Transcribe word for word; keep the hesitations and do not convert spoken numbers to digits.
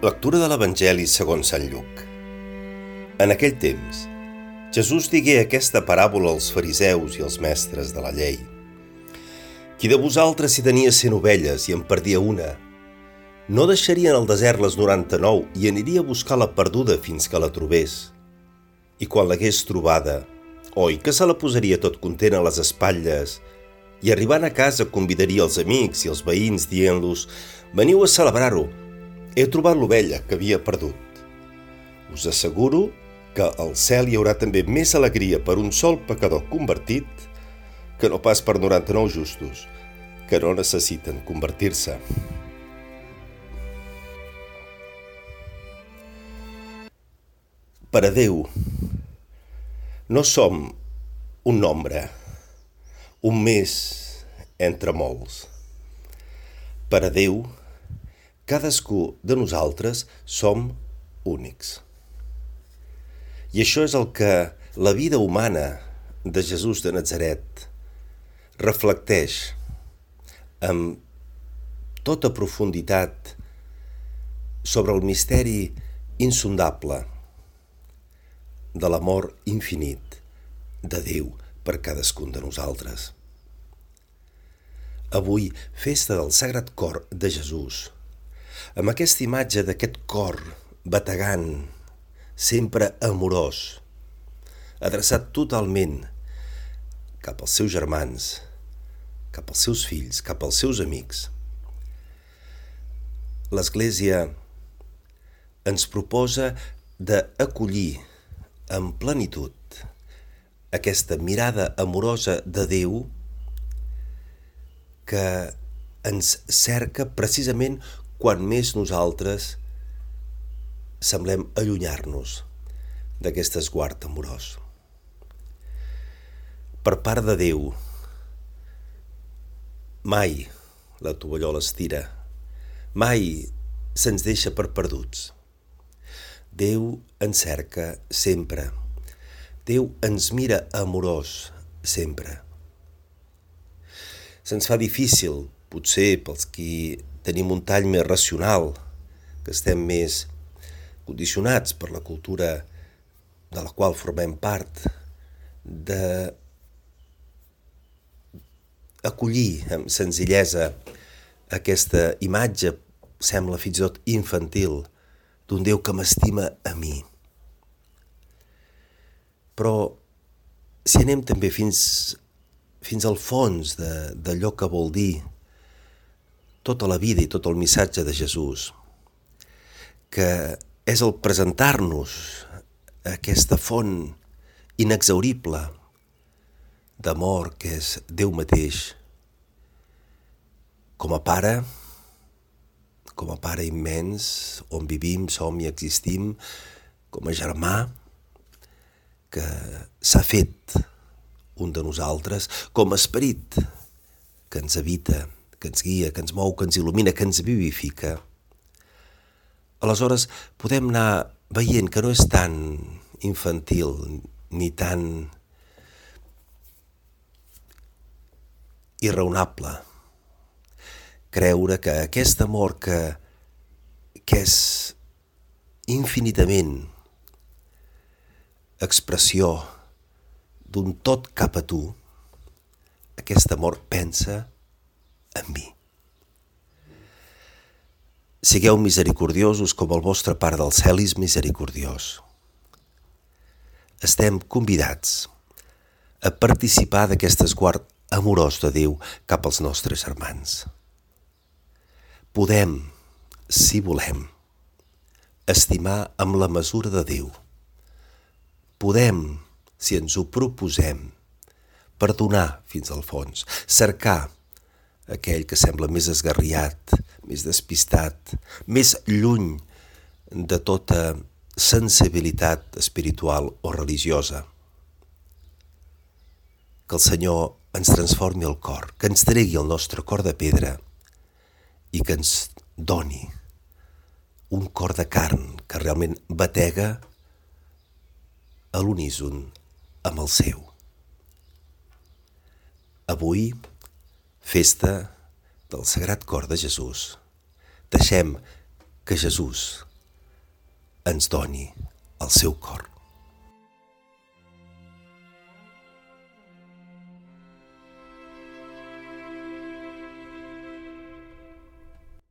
Lectura de l'Evangeli segons Sant Lluc. En aquell temps, Jesús digué aquesta paràbola als fariseus i als mestres de la llei. Qui de vosaltres si tenia cent ovelles i en perdia una, no deixaria en el desert les noranta-nou i aniria a buscar la perduda fins que la trobés. I quan l'hagués trobada, oi que se la posaria tot content a les espatlles i arribant a casa convidaria els amics i els veïns dient-los: «Veniu a celebrar-ho, he trobat l'ovella que havia perdut». Us asseguro que al cel hi haurà també més alegria per un sol pecador convertit que no pas per noranta-nou justos que no necessiten convertir-se. Per a Déu no som un nombre, un més entre molts. Per a Déu, cadascú de nosaltres som únics. I això és el que la vida humana de Jesús de Natzaret reflecteix amb tota profunditat sobre el misteri insondable de l'amor infinit de Déu per cadascun de nosaltres. Avui, festa del Sagrat Cor de Jesús, amb aquesta imatge d'aquest cor bategant, sempre amorós, adreçat totalment cap als seus germans, cap als seus fills, cap als seus amics. L'Església ens proposa d'acollir en plenitud aquesta mirada amorosa de Déu que ens cerca precisament quan més nosaltres semblem allunyar-nos d'aquest esguard amorós. Per part de Déu, mai la tovallola es tira, mai se'ns deixa per perduts. Déu ens cerca sempre. Déu ens mira amorós sempre. Se'ns fa difícil, potser pels qui tenim un tall més racional, que estem més condicionats per la cultura de la qual formem part, de acollir amb senzillesa aquesta imatge, sembla fins i tot infantil, d'un Déu que m'estima a mi. Però si anem també fins, fins al fons de, d'allò que vol dir tota la vida i tot el missatge de Jesús, que és el presentar-nos aquesta font inexhaurible d'amor que és Déu mateix, com a Pare, com a Pare immens, on vivim, som i existim, com a germà, que s'ha fet un de nosaltres, com a esperit que ens habita, que ens guia, que ens mou, que ens il·lumina, que ens vivifica. Aleshores podem anar veient que no és tan infantil ni tan irraonable creure que aquest amor que, que és infinitament expressió d'un tot cap a tu, aquest amor pensa en mi. Sigueu misericordiosos com el vostre Pare del cel és misericordiós. Estem convidats a participar d'aquest esguard amorós de Déu cap als nostres germans. Podem, si volem, estimar amb la mesura de Déu. Podem, si ens ho proposem, perdonar fins al fons, cercar aquell que sembla més esgarriat, més despistat, més lluny de tota sensibilitat espiritual o religiosa. Que el Senyor ens transformi el cor, que ens tregui el nostre cor de pedra i que ens doni un cor de carn que realment batega a l'uníson amb el seu. Avui, festa del Sagrat Cor de Jesús. Deixem que Jesús ens doni el seu cor.